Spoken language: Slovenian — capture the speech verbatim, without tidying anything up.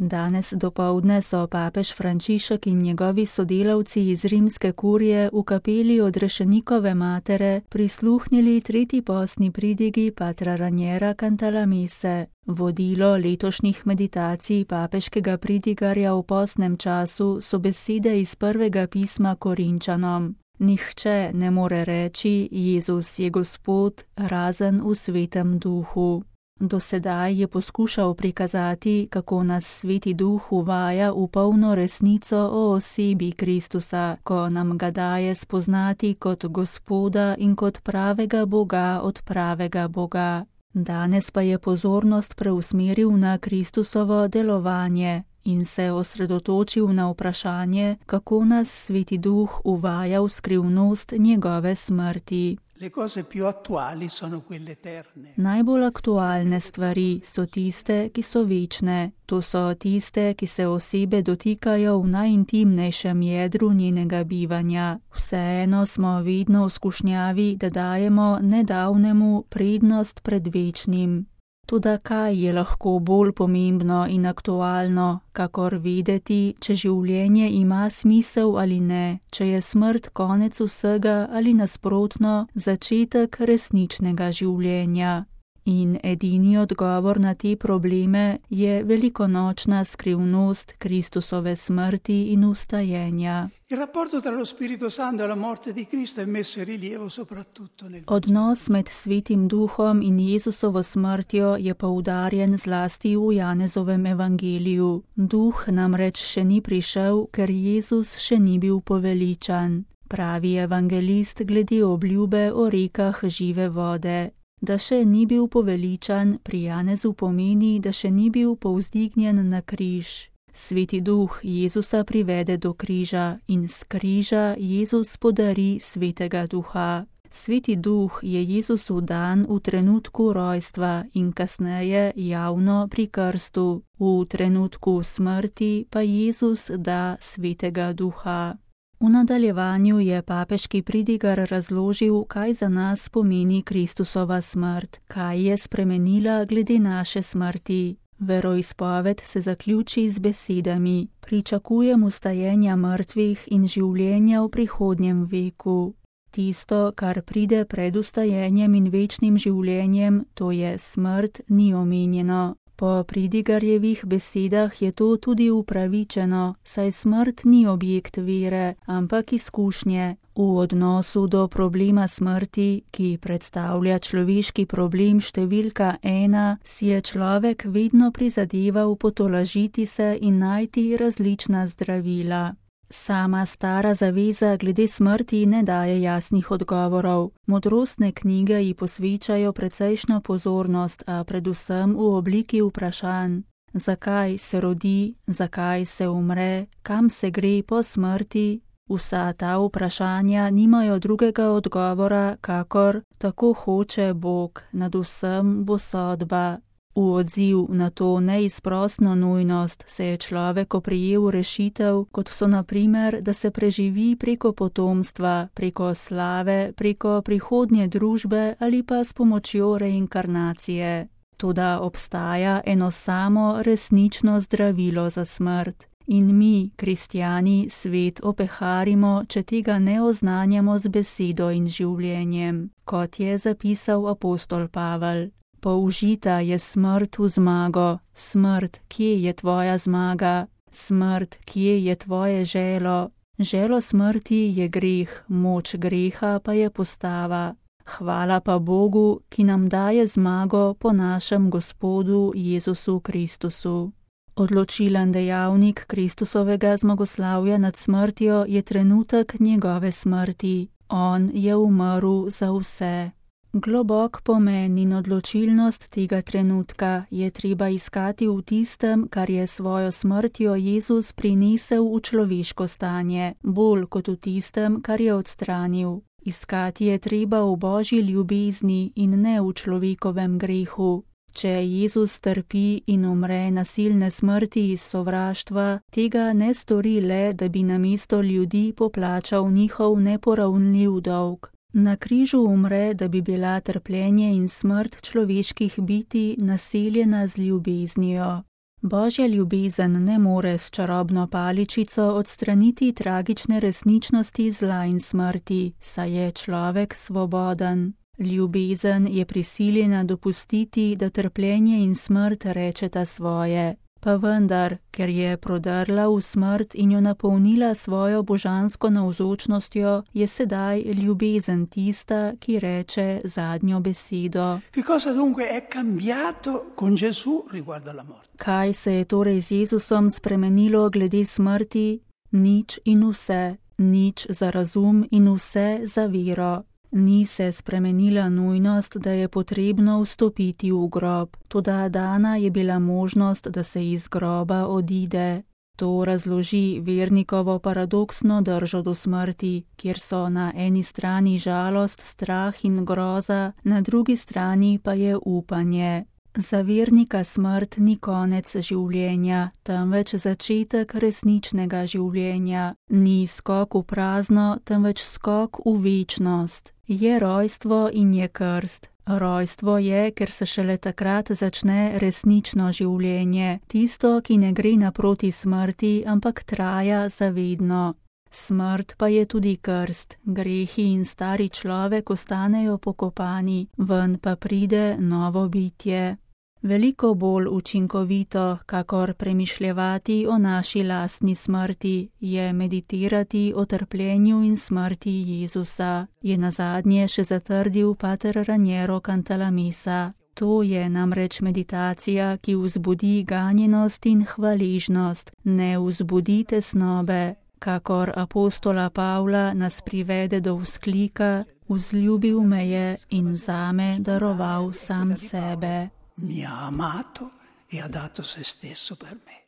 Danes dopoldne so papež Frančišek in njegovi sodelavci iz rimske kurije v kapeli Odrešenikove matere prisluhnili tretji postni pridigi patra Raniera Cantalamesse. Vodilo letošnjih meditacij papeškega pridigarja v postnem času so besede iz prvega pisma Korinčanom. Nihče ne more reči, Jezus je Gospod, razen v Svetem Duhu. Do sedaj je poskušal prikazati, kako nas Sveti Duh uvaja v polno resnico o osebi Kristusa, ko nam ga daje spoznati kot Gospoda in kot pravega Boga od pravega Boga. Danes pa je pozornost preusmeril na Kristusovo delovanje in se osredotočil na vprašanje, kako nas Sveti Duh uvaja v skrivnost njegove smrti. Le cose più attuali sono quelle eterne. Najbolj aktualne stvari so tiste, ki so večne. To so tiste, ki se osebe dotikajo v najintimnejšem jedru njenega bivanja. Vseeno smo vedno v skušnjavi, da dajemo nedavnemu prednost pred večnim. Toda kaj je lahko bolj pomembno in aktualno, kakor vedeti, če življenje ima smisel ali ne, če je smrt konec vsega ali nasprotno začetek resničnega življenja. In edini odgovor na te probleme je velikonočna skrivnost Kristusove smrti in vstajenja. Il rapporto tra lo Spirito Santo e la morte di Cristo è messo in rilievo soprattutto nel Odnos med Svetim Duhom in Jezusovo smrtjo je poudarjen zlasti v Janezovem evangeliju. Duh namreč še ni prišel, ker Jezus še ni bil poveličan, pravi evangelist glede obljube o rekah žive vode. Da še ni bil poveličan, pri Janezu pomeni, da še ni bil povzdignjen na križ. Sveti Duh Jezusa privede do križa in s križa Jezus podari Svetega Duha. Sveti Duh je Jezusu dan v trenutku rojstva in kasneje javno pri krstu. V trenutku smrti pa Jezus da Svetega Duha. V nadaljevanju je papeški pridigar razložil, kaj za nas pomeni Kristusova smrt, kaj je spremenila glede naše smrti. Veroizpoved se zaključi z besedami: pričakujem vstajenja mrtvih in življenja v prihodnjem veku. Tisto, kar pride pred vstajenjem in večnim življenjem, to je smrt, ni omenjeno. Po pridigarjevih besedah je to tudi upravičeno, saj smrt ni objekt vere, ampak izkušnje. V odnosu do problema smrti, ki predstavlja človeški problem številka ena, si je človek vedno prizadeval potolažiti se in najti različna zdravila. Sama stara zaveza glede smrti ne daje jasnih odgovorov. Modrostne knjige ji posvečajo precejšno pozornost, a predvsem v obliki vprašanj. Zakaj se rodi, zakaj se umre, kam se gre po smrti? Vsa ta vprašanja nimajo drugega odgovora, kakor tako hoče Bog, nad vsem bo sodba. V odziv na to neizprosno nujnost se je človek oprijel rešitev, kot so na primer, da se preživi preko potomstva, preko slave, preko prihodnje družbe ali pa s pomočjo reinkarnacije. Toda obstaja eno samo resnično zdravilo za smrt. In mi, kristjani, svet opeharimo, če tega ne oznanjamo z besedo in življenjem, kot je zapisal apostol Pavel. Použita je smrt v zmago. Smrt, kje je tvoja zmaga? Smrt, kje je tvoje želo? Želo smrti je greh, moč greha pa je postava. Hvala pa Bogu, ki nam daje zmago po našem Gospodu Jezusu Kristusu. Odločilen dejavnik Kristusovega zmagoslavja nad smrtjo je trenutek njegove smrti. On je umrl za vse. Globok pomen in odločilnost tega trenutka je treba iskati v tistem, kar je svojo smrtjo Jezus prinesel v človeško stanje, bolj kot v tistem, kar je odstranil. Iskati je treba v Božji ljubezni in ne v človekovem grehu. Če Jezus trpi in umre nasilne smrti iz sovraštva, tega ne stori le, da bi namesto ljudi poplačal njihov neporavnljiv dolg. Na križu umre, da bi bila trpljenje in smrt človeških bitij naseljena z ljubeznijo. Božja ljubezen ne more s čarobno paličico odstraniti tragične resničnosti zla in smrti, saj je človek svoboden. Ljubezen je prisiljena dopustiti, da trpljenje in smrt rečeta svoje. Pa vendar, ker je prodrla v smrt in jo napolnila svojo božansko navzočnostjo, je sedaj ljubezen tista, ki reče zadnjo besedo. Kaj se je torej z Jezusom spremenilo glede smrti? Nič in vse, nič za razum in vse za vero. Ni se spremenila nujnost, da je potrebno vstopiti v grob, toda dana je bila možnost, da se iz groba odide. To razloži vernikovo paradoksno držo do smrti, kjer so na eni strani žalost, strah in groza, na drugi strani pa je upanje. Za vernika smrt ni konec življenja, temveč začetek resničnega življenja. Ni skok v prazno, temveč skok v večnost. Je rojstvo in je krst. Rojstvo je, ker se šele takrat začne resnično življenje, tisto, ki ne gre naproti smrti, ampak traja zavedno. Smrt pa je tudi krst, grehi in stari človek ostanejo pokopani, ven pa pride novo bitje. Veliko bolj učinkovito, kakor premišljevati o naši lastni smrti, je meditirati o trpljenju in smrti Jezusa, je nazadnje še zatrdil pater Raniero Cantalamessa. To je namreč meditacija, ki vzbudi ganjenost in hvaležnost, ne vzbudi tesnobe, kakor apostola Pavla nas privede do vzklika: vzljubil me je in zame daroval sam sebe. Mi ha amato e ha dato se stesso per me.